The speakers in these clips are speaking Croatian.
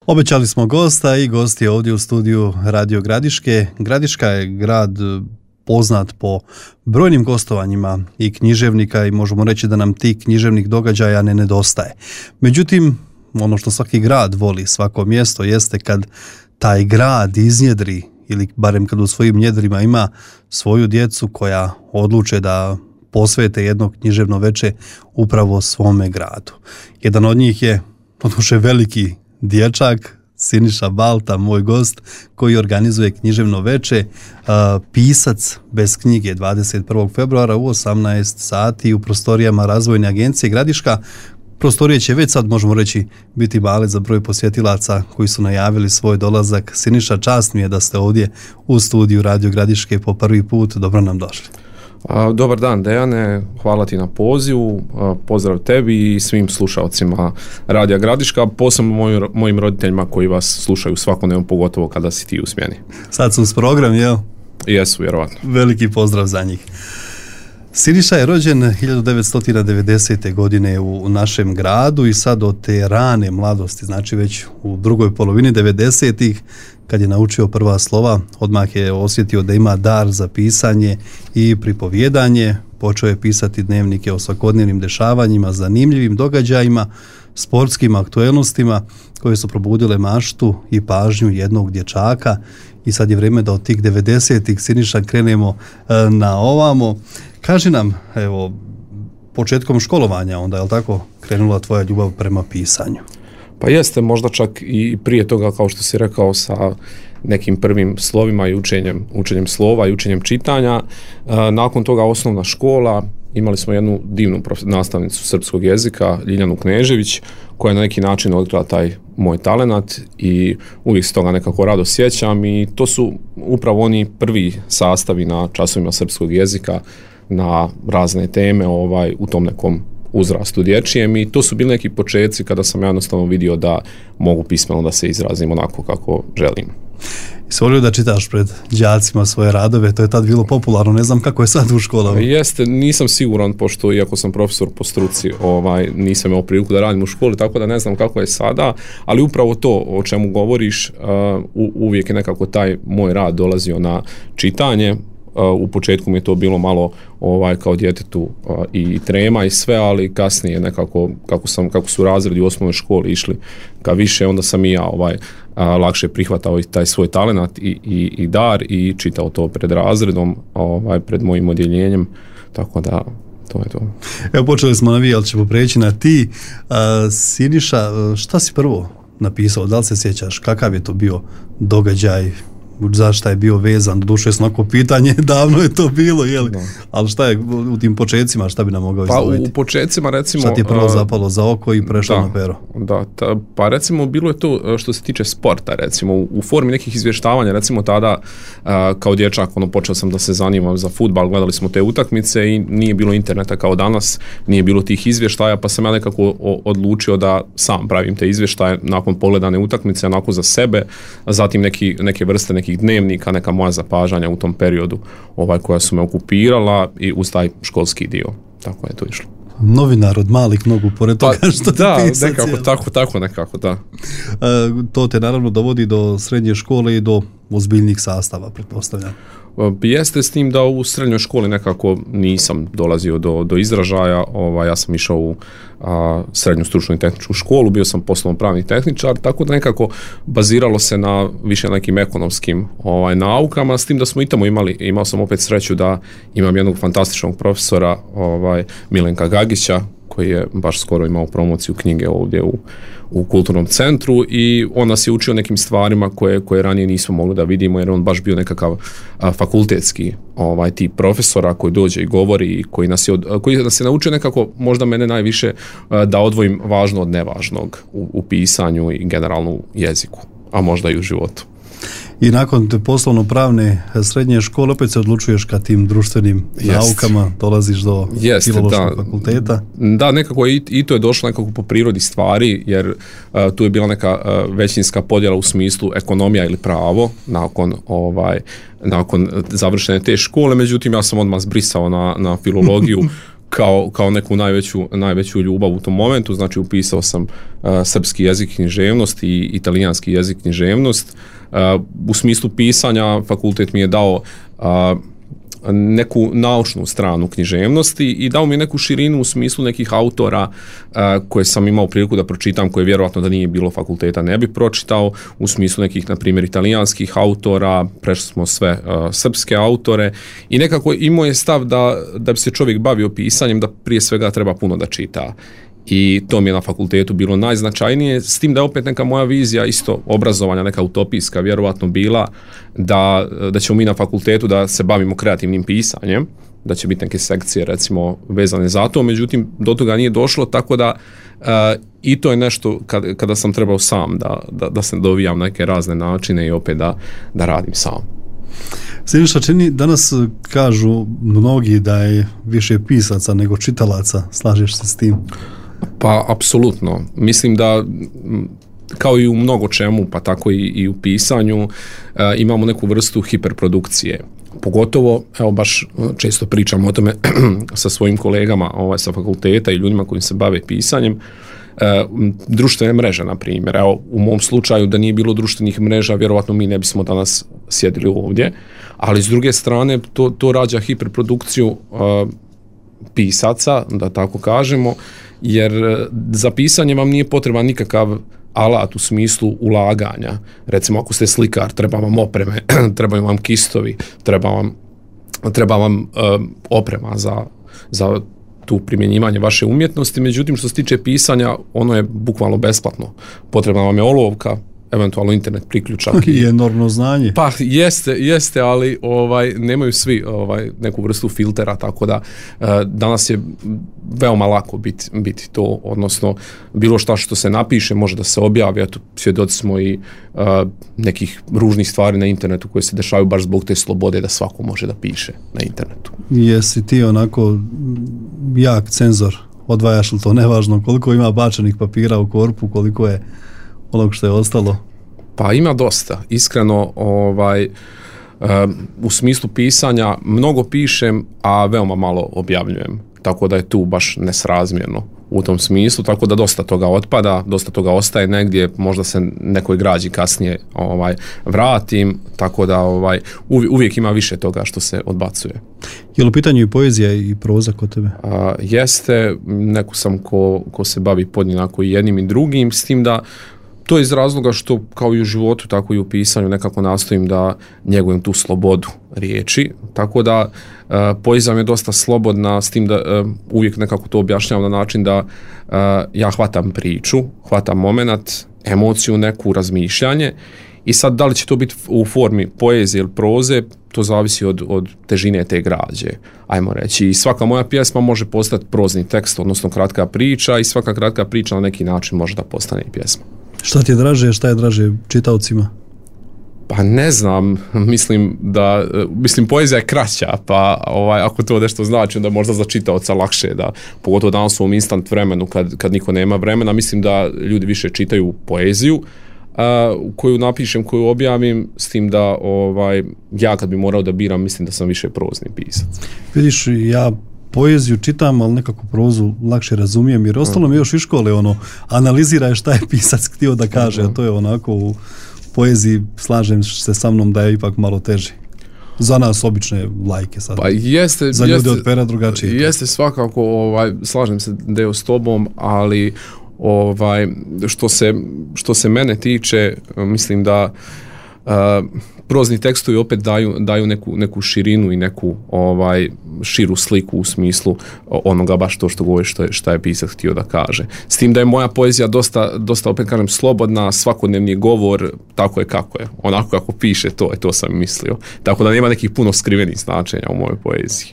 Obećali smo gosta i gost je ovdje u studiju Radio Gradiške. Gradiška je grad poznat po brojnim gostovanjima i književnika i možemo reći da nam tih književnih događaja ne nedostaje. Međutim, ono što svaki grad voli, svako mjesto, jeste kad taj grad iznjedri ili barem kad u svojim njedrima ima svoju djecu koja odluče da posvete jedno književno veče upravo svome gradu. Jedan od njih je odluče veliki dječak, Siniša Balta, moj gost, koji organizuje književno veče, pisac bez knjige 21. februara u 18 sati u prostorijama Razvojne agencije Gradiška. Prostorije će već sad, možemo reći, biti male za broj posjetilaca koji su najavili svoj dolazak. Siniša, čast mi je da ste ovdje u studiju Radio Gradiške po prvi put. Dobro nam došli. Dobar dan, Dejane, hvala ti na pozivu, pozdrav tebi i svim slušalcima Radija Gradiška, posebno mojim roditeljima koji vas slušaju svakodnevno, pogotovo kada si ti u smjeni. Sad su uz program, jel? Jesu, vjerovatno. Veliki pozdrav za njih. Siniša je rođen 1990. godine u našem gradu i sad od te rane mladosti, znači već u drugoj polovini 90-ih, kad je naučio prva slova, odmah je osjetio da ima dar za pisanje i pripovjedanje. Počeo je pisati dnevnike o svakodnevnim dešavanjima, zanimljivim događajima, sportskim aktuelnostima koje su probudile maštu i pažnju jednog dječaka. I sad je vrijeme da od tih 90-ih, Siniša, krenemo na ovamo. Kaži nam, evo, početkom školovanja onda, je li tako, krenula tvoja ljubav prema pisanju? Pa jeste, možda čak i prije toga, kao što si rekao, sa nekim prvim slovima i učenjem slova i učenjem čitanja. Nakon toga osnovna škola, imali smo jednu divnu nastavnicu srpskog jezika, Ljiljanu Knežević, koja je na neki način otkrila taj moj talenat i uvijek se toga nekako rado sjećam i to su upravo oni prvi sastavi na časovima srpskog jezika na razne teme u tom nekom uzrastu dječjem i to su bili neki početci kada sam ja jednostavno vidio da mogu pismeno da se izrazim onako kako želim. Jesi volio da čitaš pred đacima svoje radove? To je tad bilo popularno, ne znam kako je sad u školama. Jeste, nisam siguran, pošto iako sam profesor po struci, nisam imao priliku da radim u školi, tako da ne znam kako je sada, ali upravo to o čemu govoriš, uvijek je nekako taj moj rad dolazio na čitanje. U početku mi je to bilo malo kao djetetu i trema i sve, ali kasnije nekako kako su razredi u osnovnoj školi išli ka više, onda sam i ja lakše prihvatao i taj svoj talenat i dar i čitao to pred razredom, pred mojim odjeljenjem, tako da to je to. Evo, počeli smo na vi, ali ćemo preći na ti. Siniša, šta si prvo napisao? Da li se sjećaš kakav je to bio događaj? Zašto je bio vezan? Doduše snako pitanje, davno je to bilo, jel? No. Ali šta je u tim početcima, šta bi nam mogao izdvojiti? Pa u početcima recimo... Šta ti je prvo zapalo za oko i prešlo na pero? Pa recimo bilo je to što se tiče sporta, recimo u formi nekih izvještavanja, recimo tada kao dječak počeo sam da se zanimam za fudbal, gledali smo te utakmice i nije bilo interneta kao danas, nije bilo tih izvještaja, pa sam ja nekako odlučio da sam pravim te izvještaje nakon pogledane utakmice, onako za sebe, a zatim neke vrste nekih dnevnika, neka moja zapažanja u tom periodu koja su me okupirala i uz taj školski dio. Tako je to išlo. Novinar od malih nogu, pored toga što ti pisac. Da, nekako, da. To te naravno dovodi do srednje škole i do ozbiljnih sastava, pretpostavljam. Jeste, s tim da u srednjoj školi nekako nisam dolazio do izražaja. Ja sam išao u srednju stručnu i tehničku školu, bio sam poslovno-pravni tehničar, tako da nekako baziralo se na više nekim ekonomskim naukama, s tim da smo i tamo imao sam opet sreću da imam jednog fantastičnog profesora, Milenka Gagića, koji je baš skoro imao promociju knjige ovdje u kulturnom centru i on nas je učio nekim stvarima koje ranije nismo mogli da vidimo, jer on baš bio nekakav fakultetski tip profesora koji dođe i govori i koji nas je naučio nekako, možda mene najviše, da odvojim važno od nevažnog u pisanju i generalno u jeziku, a možda i u životu. I nakon te poslovno-pravne srednje škole opet se odlučuješ ka tim društvenim naukama, dolaziš do filološkog fakulteta. Da, nekako i to je došlo nekako po prirodi stvari, jer tu je bila neka većinska podjela u smislu ekonomija ili pravo nakon završene te škole, međutim ja sam odmah zbrisao na filologiju kao neku najveću ljubav u tom momentu. Znači upisao sam srpski jezik književnost i italijanski jezik književnost. U smislu pisanja fakultet mi je dao neku naučnu stranu književnosti i dao mi neku širinu u smislu nekih autora koje sam imao priliku da pročitam, koje vjerojatno da nije bilo fakulteta ne bi pročitao, u smislu nekih, na primjer, italijanskih autora, prešli smo sve srpske autore i nekako imao je stav da bi se čovjek bavio pisanjem, da prije svega treba puno da čita. I to mi je na fakultetu bilo najznačajnije, s tim da je opet neka moja vizija isto obrazovanja, neka utopijska vjerojatno bila da ćemo mi na fakultetu da se bavimo kreativnim pisanjem, da će biti neke sekcije recimo vezane za to, međutim do toga nije došlo, tako da i to je nešto kada sam trebao sam da se dovijam na neke razne načine i opet da radim sam. Siniša, čini, danas kažu mnogi da je više pisaca nego čitalaca, slažeš se s tim? Pa, apsolutno. Mislim da kao i u mnogo čemu, pa tako i u pisanju, imamo neku vrstu hiperprodukcije. Pogotovo, evo baš često pričam o tome sa svojim kolegama sa fakulteta i ljudima koji se bave pisanjem, društvene mreže, na primjer. Evo, u mom slučaju da nije bilo društvenih mreža, vjerovatno mi ne bismo danas sjedili ovdje, ali s druge strane to rađa hiperprodukciju pisaca, da tako kažemo, jer za pisanje vam nije potreban nikakav alat u smislu ulaganja. Recimo, ako ste slikar, treba vam opreme, trebaju vam kistovi, treba vam oprema za tu primjenjivanje vaše umjetnosti, međutim što se tiče pisanja, ono je bukvalno besplatno. Potrebna vam je olovka, eventualno internet priključak i enormno znanje. Pa jeste, ali nemaju svi neku vrstu filtera, tako da danas je veoma lako biti to, odnosno bilo šta što se napiše može da se objavi, a tu svjedoci smo i nekih ružnih stvari na internetu koje se dešavaju baš zbog te slobode da svako može da piše na internetu. Jesi ti onako jak cenzor, odvajaš li to, nevažno koliko ima bačenih papira u korpu, koliko je onog što je ostalo? Pa ima dosta. Iskreno, u smislu pisanja mnogo pišem, a veoma malo objavljujem. Tako da je tu baš nesrazmjerno u tom smislu, tako da dosta toga otpada, dosta toga ostaje negdje, možda se nekoj građi kasnije vratim, tako da uvijek ima više toga što se odbacuje. Je li u pitanju i poezija i proza kod tebe? Jeste, neko sam ko se bavi podjednako i jednim i drugim, s tim da to je iz razloga što kao i u životu, tako i u pisanju nekako nastojim da njegujem tu slobodu riječi, tako da poezija mi je dosta slobodna, s tim da uvijek nekako to objašnjavam na način da ja hvatam priču, hvatam moment, emociju, neku razmišljanje i sad da li će to biti u formi poezije ili proze, to zavisi od težine te građe, ajmo reći. I svaka moja pjesma može postati prozni tekst, odnosno kratka priča, i svaka kratka priča na neki način može da postane i pjesma. Šta ti je draže, šta je draže čitaocima? Pa ne znam, mislim poezija je kraća, pa ako to nešto znači, onda možda za čitaoca lakše, da pogotovo danas u ovom instant vremenu kad niko nema vremena, mislim da ljudi više čitaju poeziju koju napišem, koju objavim, s tim da ja kad bi morao da biram, mislim da sam više prozni pisac. Vidiš, ja poeziju čitam, ali nekako prozu lakše razumijem, jer ostalo mi još iz škole analiziraj šta je pisac htio da kaže, a to je onako u poeziji, slažem se sa mnom da je ipak malo teže. Za nas obične lajke sad. Pa jeste, za ljude od pera drugačije. Jeste svakako, slažem se da je s tobom, ali što se mene tiče, mislim da prozni tekstovi opet daju neku širinu i neku širu sliku u smislu onoga baš to što govori šta je pisac htio da kaže. S tim da je moja poezija dosta opet kažem slobodna, svakodnevni govor, tako je kako je. Onako kako piše, to sam mislio. Tako da nema nekih puno skrivenih značenja u mojoj poeziji.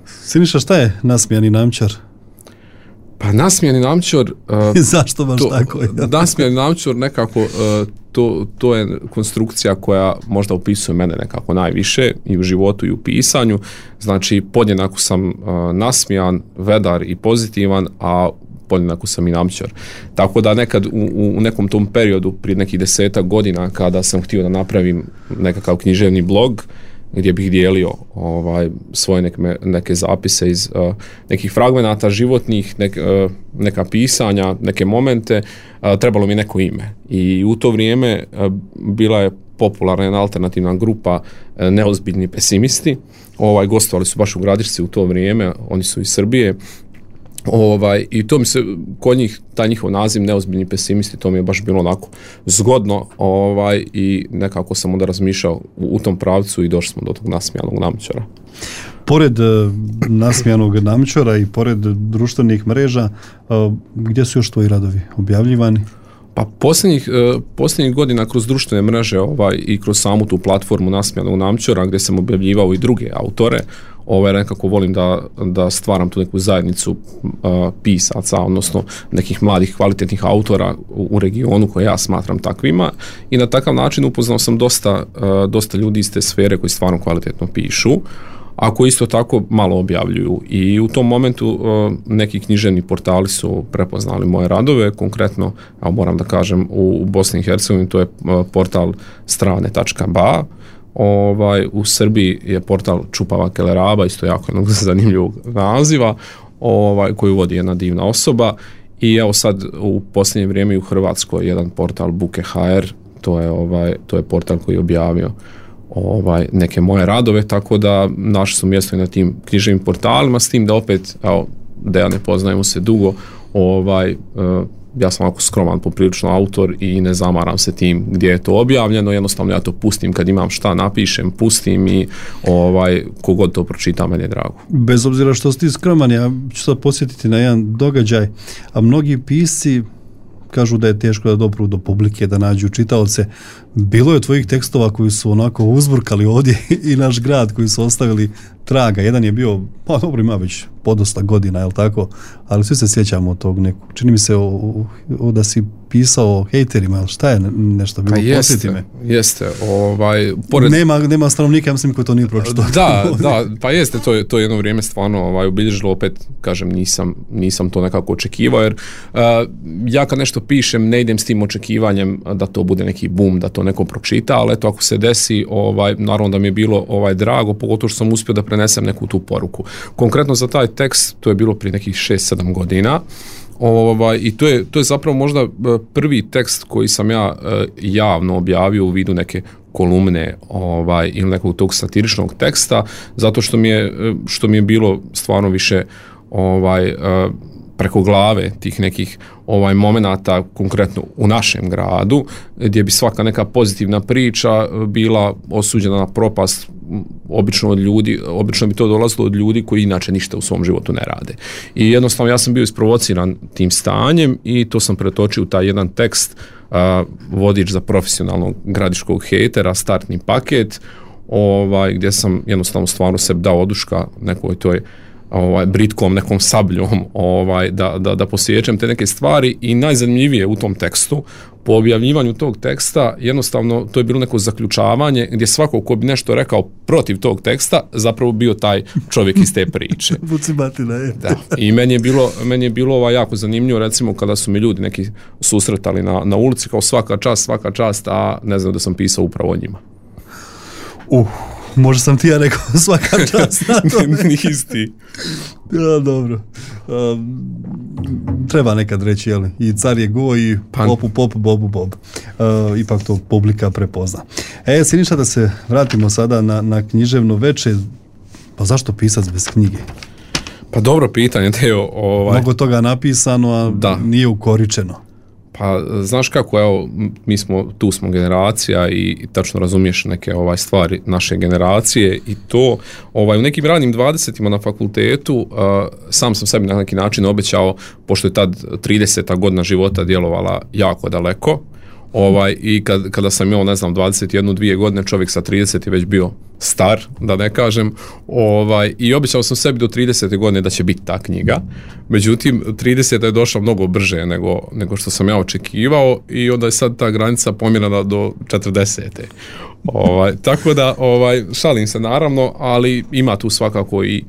Siniša, šta je nasmijani namčar? Pa nasmijani namčar... Zašto baš tako? Nasmijani namčar nekako, to je konstrukcija koja možda opisuje mene nekako najviše i u životu i u pisanju. Znači, podjednako sam nasmijan, vedar i pozitivan, a podjednako sam i namčar. Tako da nekad u nekom tom periodu, prije nekih 10 godina, kada sam htio da napravim nekakav književni blog, gdje bih dijelio svoje neke zapise iz nekih fragmenata životnih, neka pisanja, neke momente, trebalo mi neko ime. I u to vrijeme bila je popularna jedna alternativna grupa Neozbiljni pesimisti. Gostovali su baš u Gradišci u to vrijeme, oni su iz Srbije. I to mi se, kod njih, taj njihov naziv Neozbiljni pesimisti, to mi je baš bilo onako zgodno, i nekako sam onda razmišljao u tom pravcu i došli smo do tog Nasmijanog namčara. Pored Nasmijanog namčara i pored društvenih mreža, gdje su još tvoji radovi objavljivani? Pa posljednjih godina kroz društvene mreže i kroz samu tu platformu Nasmijanog namčara, gdje sam objavljivao i druge autore, nekako volim da stvaram tu neku zajednicu pisaca, odnosno nekih mladih kvalitetnih autora u regionu koje ja smatram takvima, i na takav način upoznao sam dosta ljudi iz te sfere koji stvarno kvalitetno pišu, a koji isto tako malo objavljuju. I u tom momentu neki književni portali su prepoznali moje radove, konkretno, a moram da kažem, u Bosni i Hercegovini to je portal strane.ba. U Srbiji je portal Čupava Keleraba, isto jako jednog zanimljivog naziva, koju vodi jedna divna osoba. I evo sad u posljednje vrijeme u Hrvatskoj jedan portal Buke.hr, to je portal koji je objavio neke moje radove, tako da našli su mjesto i na tim književnim portalima, s tim da opet, da ja ne poznajemo se dugo, ja sam ovako skroman poprilično autor i ne zamaram se tim gdje je to objavljeno, jednostavno ja to pustim kad imam šta napišem, pustim i kogod to pročita, meni je drago. Bez obzira što si ti skroman, ja ću sad podsjetiti na jedan događaj, a mnogi pisci kažu da je teško da dopru do publike, da nađu čitaoce. Bilo je tvojih tekstova koji su onako uzburkali ovdje i naš grad, koji su ostavili traga. Jedan je bio, pa dobro, ima već podosta godina, jel tako? Ali svi se sjećamo tog nekog. Čini mi se da si pisao o hejterima, ali šta je nešto bilo? Posjeti me. Jeste. Nema stanovnika, ja mislim, koji to nije pročitao. Da, pa jeste, to je jedno vrijeme stvarno obilježilo, opet, kažem, nisam to nekako očekivao, jer ja kad nešto pišem, ne idem s tim očekivanjem da to bude neki boom, da to neko pročita, ali eto, ako se desi, naravno da mi je bilo drago, pogotovo što sam uspio da prenesem neku tu poruku. Konkretno za taj tekst, to je bilo prije nekih 6-7 godina, i to je zapravo možda prvi tekst koji sam ja javno objavio u vidu neke kolumne ili nekog tog satiričnog teksta, zato što mi je bilo stvarno više preko glave tih nekih momenata, konkretno u našem gradu, gdje bi svaka neka pozitivna priča bila osuđena na propast, obično bi to dolazilo od ljudi koji inače ništa u svom životu ne rade. I jednostavno ja sam bio isprovociran tim stanjem i to sam pretočio u taj jedan tekst, vodič za profesionalnog gradiškog hejtera, startni paket, gdje sam jednostavno stvarno sebi dao oduška nekoj toj britkom nekom sabljom da posjećam te neke stvari. I najzanimljivije u tom tekstu, po objavljivanju tog teksta, jednostavno to je bilo neko zaključavanje gdje svako ko bi nešto rekao protiv tog teksta zapravo bio taj čovjek iz te priče. Vucibatina je. Da. I meni je bilo jako zanimljivo, recimo kada su mi ljudi neki susretali na ulici, kao svaka čast, a ne znam da sam pisao upravo o njima. Možda sam ti ja rekao svaka čast na to. Isti. Ja, dobro. Treba nekad reći, jel? I car je go i popu pop, bobu bob. Ipak to publika prepozna. Siniša, da se vratimo sada na književno veče. Pa zašto pisac bez knjige? Pa dobro pitanje, Teo. Mnogo toga napisano, a nije ukoričeno. Pa znaš kako, evo, tu smo generacija i tačno razumiješ neke stvari naše generacije i to u nekim ranim 20-ima na fakultetu sam sam sebi na neki način obećao, pošto je tad 30. godina života djelovala jako daleko, i kada sam imao, 21-2 godine, čovjek sa 30 je već bio star, da ne kažem, i obećao sam sebi do 30. godine da će biti ta knjiga. Međutim, 30. je došla mnogo brže nego što sam ja očekivao i onda je sad ta granica pomjerena do 40. Tako da, šalim se naravno, ali ima tu svakako i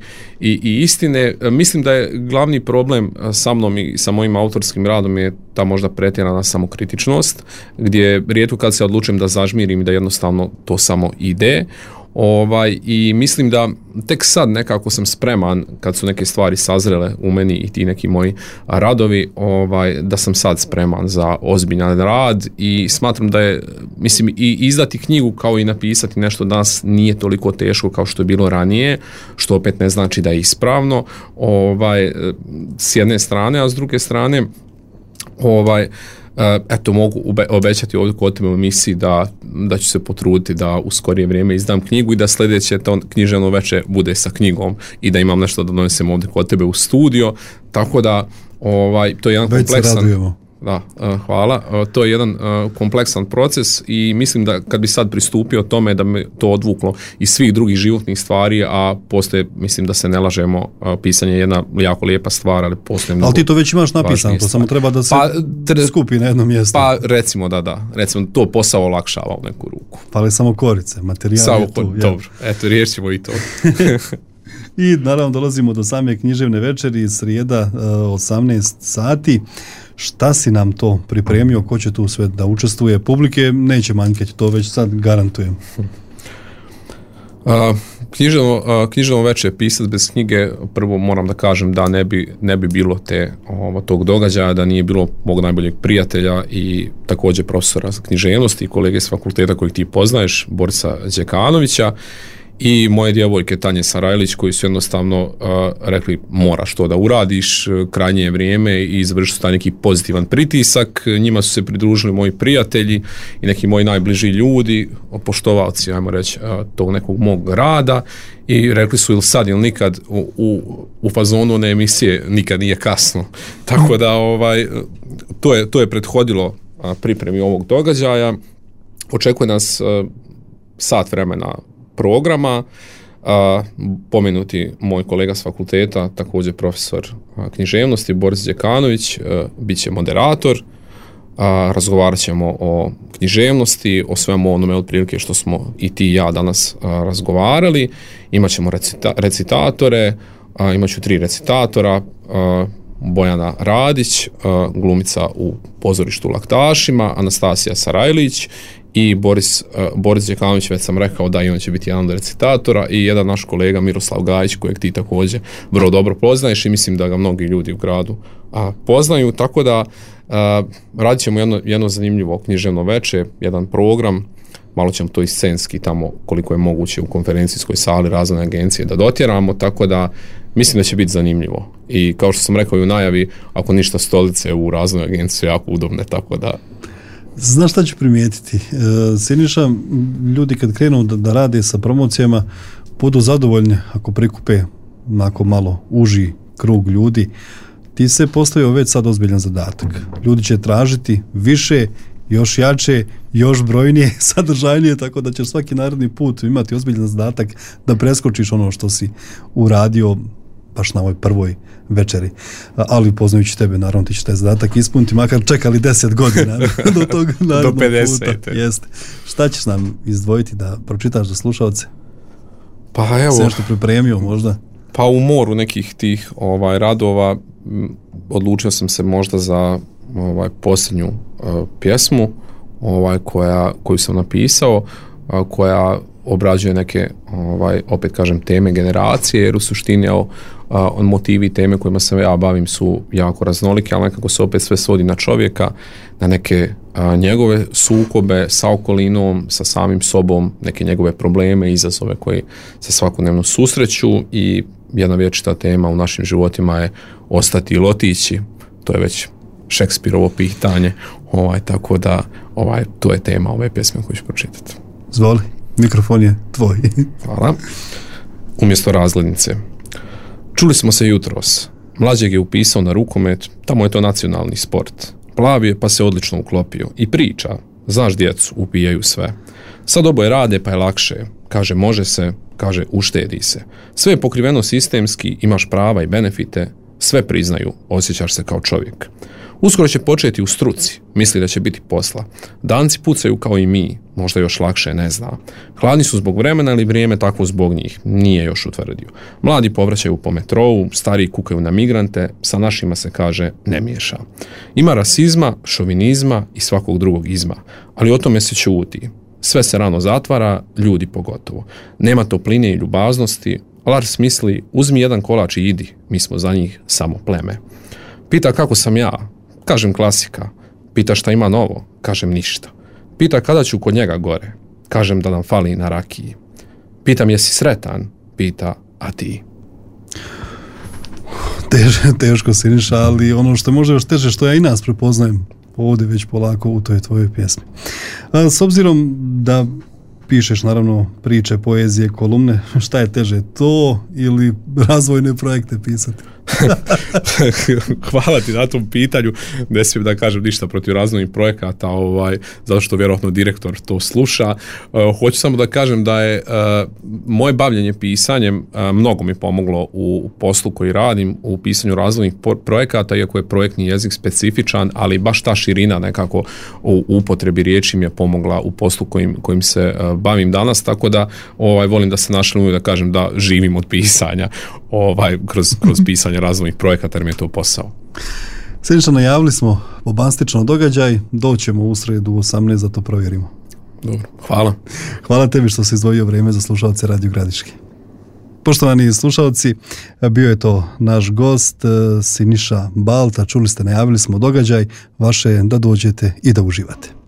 istine. Mislim da je glavni problem sa mnom i sa mojim autorskim radom je ta možda pretjerana samokritičnost, gdje rijetko kad se odlučim da zažmirim i da jednostavno to samo ide. I mislim da tek sad nekako sam spreman, kad su neke stvari sazrele u meni i ti neki moji radovi, da sam sad spreman za ozbiljan rad i smatram da je, mislim, i izdati knjigu kao i napisati nešto danas nije toliko teško kao što je bilo ranije, što opet ne znači da je ispravno, s jedne strane, a s druge strane, eto, mogu obećati ovdje kod tebe u emisiji da ću se potruditi da u skorije vrijeme izdam knjigu i da sljedeće to književno veče bude sa knjigom i da imam nešto da donesem ovdje kod tebe u studio, tako da to je jedan kompleksan... Da, hvala. To je jedan kompleksan proces i mislim da kad bi sad pristupio tome da me to odvuklo iz svih drugih životnih stvari, a postoje, mislim da se ne lažemo, pisanje je jedna jako lijepa stvar, ali postoje mnogo. Ali ti to već imaš napisano, to samo treba da se skupi na jedno mjesto. Pa recimo recimo to posao olakšava u neku ruku. Fali samo korice, materijal je tu. Dobro, eto, riješimo i to. I naravno dolazimo do same književne večeri, srijeda 18 sati. Šta si nam to pripremio, ko će tu sve da učestvuje? Publike neće manjkati, to već sad garantujem. Književno večer pisati bez knjige, prvo moram da kažem da ne bi bilo tog događaja, da nije bilo mog najboljeg prijatelja i također profesora književnosti i kolege s fakulteta kojeg ti poznaješ, Borisa Đekanovića, i moje djevojke Tanje Sarajlić, koji su jednostavno rekli moraš to da uradiš, krajnje je vrijeme, i izvršili su taj neki pozitivan pritisak. Njima su se pridružili moji prijatelji i neki moji najbliži ljudi, poštovalci, ajmo reći, tog nekog mog rada, i rekli su ili sad ili nikad, u fazonu one emisije nikad nije kasno. Tako da to je prethodilo pripremi ovog događaja. Očekuje nas sat vremena programa, pomenuti moj kolega s fakulteta, također profesor književnosti Boris Đekanović, bit će moderator, razgovarat ćemo o književnosti, o svemu onome otprilike što smo i ti i ja danas razgovarali. Imat ćemo recitatore, imat ću 3 recitatora, Bojana Radić, glumica u pozorištu Laktašima, Anastasija Sarajlić i Boris Đekanović, već sam rekao da i on će biti jedan od recitatora, i jedan naš kolega Miroslav Gajić, kojeg ti također vrlo dobro poznaješ i mislim da ga mnogi ljudi u gradu poznaju, tako da radit ćemo jedno zanimljivo književno večer, jedan program, malo ćemo to i scenski tamo koliko je moguće u konferencijskoj sali Razvojne agencije da dotjeramo, tako da mislim da će biti zanimljivo. I kao što sam rekao i u najavi, ako ništa, stolice u Razvojnoj agenciji su jako udobne, tako da... Znaš šta ću primijetiti? Siniša, ljudi kad krenu da rade sa promocijama, budu zadovoljni ako prikupe onako malo uži krug ljudi. Ti se postavio već sad ozbiljan zadatak. Ljudi će tražiti više, još jače, još brojnije, sadržajnije, tako da ćeš svaki naredni put imati ozbiljan zadatak da preskočiš ono što si uradio baš na ovoj prvoj večeri. Ali poznajući tebe, naravno ti će taj zadatak ispuniti, makar čekali 10 godina do tog narednog do 50. puta. Jeste. Šta ćeš nam izdvojiti da pročitaš za slušalce? Pa evo, sve što pripremio možda? Pa u moru nekih tih radova odlučio sam se možda za posljednju pjesmu koju sam napisao, koja obrađuje neke, opet kažem, teme generacije, jer u suštini motivi i teme kojima se ja bavim su jako raznolike, ali nekako se opet sve svodi na čovjeka, na neke njegove sukobe sa okolinom, sa samim sobom, neke njegove probleme, izazove koji se svakodnevno susreću, i jedna vječita tema u našim životima je ostati ili otići. To je već Šekspirovo pitanje, tako da to je tema ove pjesme koju ću pročitati. Zvoli, mikrofon je tvoj. Hvala. Umjesto razglednice. Čuli smo se jutros. Mlađeg je upisao na rukomet, tamo je to nacionalni sport. Plav je pa se odlično uklopio i priča. Znaš, djecu, upijaju sve. Sad oboje rade pa je lakše. Kaže može se, kaže uštedi se. Sve je pokriveno sistemski, imaš prava i benefite, sve priznaju, osjećaš se kao čovjek. Uskoro će početi u struci, misli da će biti posla. Danci pucaju kao i mi, možda još lakše, ne zna. Hladni su zbog vremena ili vrijeme takvo zbog njih, nije još utvrdio. Mladi povraćaju po metrou, stariji kukaju na migrante, sa našima se kaže ne miješa. Ima rasizma, šovinizma i svakog drugog izma, ali o tome se ćuti. sve se rano zatvara, ljudi pogotovo. Nema topline i ljubaznosti. Lars misli, uzmi jedan kolač i idi, mi smo za njih samo pleme. Pita kako sam ja, kažem klasika. Pita šta ima novo, kažem ništa. Pita kada ću kod njega gore, kažem da nam fali na rakiji. Pitam jesi sretan, pita, a ti? Teško, Siniša, ali ono što je možda još teže, što ja i nas prepoznajem ovdje već polako u toj tvojoj pjesmi. S obzirom da pišeš naravno priče, poezije, kolumne, šta je teže, to ili razvojne projekte pisati? Hvala ti na tom pitanju. Ne smijem da kažem ništa protiv razvojnih projekata, zato što vjerojatno direktor to sluša. Hoću samo da kažem da je moje bavljenje pisanjem mnogo mi pomoglo u poslu koji radim, u pisanju razvojnih projekata, iako je projektni jezik specifičan, ali baš ta širina nekako u upotrebi riječi mi je pomogla u poslu kojim se bavim danas, tako da volim da se našalim da kažem da živim od pisanja kroz pisanje razvojnih projekata, jer mi je to posao. Siniša, najavili smo bombastično događaj, doćemo u sredu 18 da to provjerimo. Dobro, hvala. Hvala tebi što si izdvojio vrijeme za slušalce Radio Gradiške. Poštovani slušalci, bio je to naš gost Siniša Balta, čuli ste, najavili smo događaj, vaše je da dođete i da uživate.